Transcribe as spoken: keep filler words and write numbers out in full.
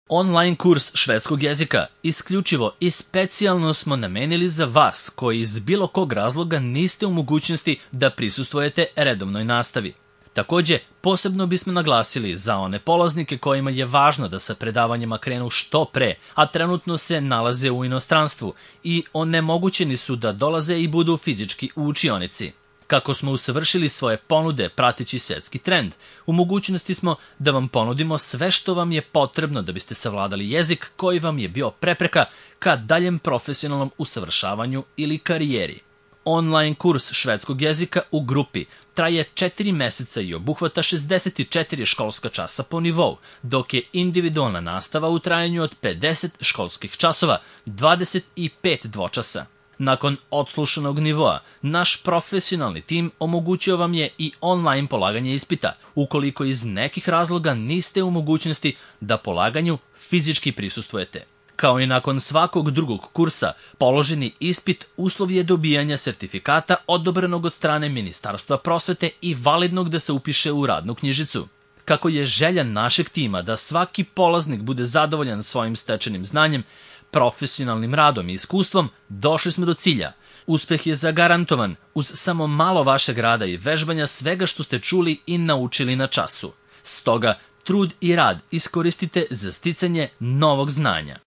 Online kurs švedskog jezika isključivo i specijalno smo namenili za vas koji iz bilo kog razloga niste u mogućnosti da prisustvujete redovnoj nastavi. Takođe, posebno bismo naglasili za one polaznike kojima je važno da sa predavanjima krenu što pre, a trenutno se nalaze u inostranstvu i onemogućeni su da dolaze i budu fizički u učionici. Kako smo usavršili svoje ponude prateći svetski trend, u mogućnosti smo da vam ponudimo sve što vam je potrebno da biste savladali jezik koji vam je bio prepreka ka daljem profesionalnom usavršavanju ili karijeri. Online kurs švedskog jezika u grupi traje četiri meseca i obuhvata šezdeset četiri školska časa po nivou, dok je individualna nastava u trajanju od pedeset školskih časova, dvadeset pet dvočasa. Nakon odslušanog nivoa, naš profesionalni tim omogućio vam je i online polaganje ispita, ukoliko iz nekih razloga niste u mogućnosti da polaganju fizički prisustvujete. Kao i nakon svakog drugog kursa, položeni ispit uslov je dobijanja sertifikata odobrenog od strane Ministarstva prosvete i validnog da se upiše u radnu knjižicu. Kako je želja našeg tima da svaki polaznik bude zadovoljan svojim stečenim znanjem, profesionalnim radom i iskustvom, došli smo do cilja. Uspeh je zagarantovan uz samo malo vašeg rada i vežbanja svega što ste čuli i naučili na času. Stoga, trud i rad iskoristite za sticanje novog znanja.